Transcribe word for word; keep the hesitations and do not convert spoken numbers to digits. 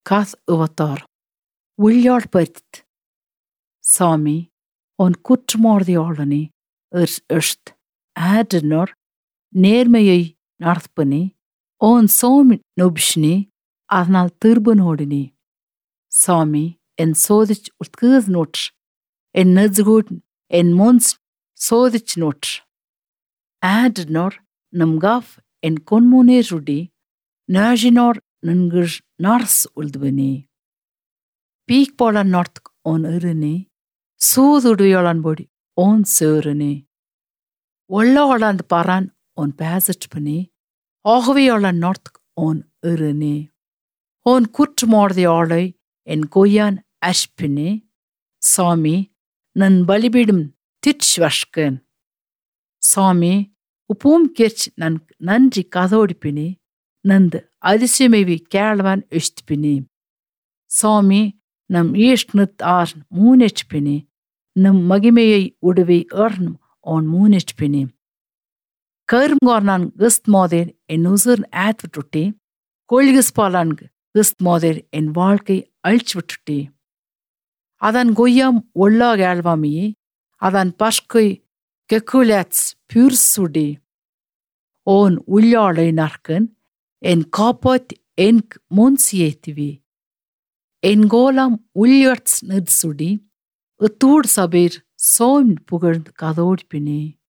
Kath uvatar. Uljallpõrt. Sami on kutrmordialani õrst äädnor நேர்மையை நடப்பனி ஓன் சோமி நொபிஷ்னி அதனால் திருபனோடினி. சாமி என் சோதிச் உட்கீஸ் நோற்று என் நெஜ்கூட் என் மோன்ஸ் சோதிச் நோற்று ஆட்னோர் நம் காஃப் என் கொன்மோனே ருடி நாஜினோர் நன்கிர் நார்ஸ் உள்துவனி. பீக் போல நார்த் ஓன் இருனி சூதுடுயோளான் பொடி ஓன் சேருனி. ஒள்ளோளாந்து Baran on pääsetpini, ahviola north on õrõni. On kutrmordioloi en goyan ashpini, சாமி நன் பலிபீடும் திட்ச்வஷ்கன். சாமி உப்பூம் கிர்ச் நன் நன்றி கதோடிப்பினி ನಂದು அதிசயமைவி கேளவன் இஷ்டிப்பினி. சாமி நம் ஈஷ்ணுத் ஆர் மூனெச்பினி நம் மகிமையை உடுவி ஏர்னும் ஆன் மூனெச்பினி. கரும்கார்னான் கிஸ்த் மோதேர் என் உசுர் ஆத் விட்டுட்டி கொள்கிஸ்பாலான் கிஸ்த் மோதேர் என் வாழ்க்கை அழிச்சு விட்டுட்டி. அதன் கொய்யாம் ஒல்லா கேழ்வாமியே அதன் பஷ்கை கெக்குலேட்ஸ் பியூர்சுடி. ஓன் உள்ளாளை நற்கன் என் காப்பாத் என் முன்சியேத்திவி. என் கோலாம் உள்ளியட்ஸ் நிற்சுடி இத்தூர் சபீர் சோம் புகழ்ந்து கதோடிப்பினி.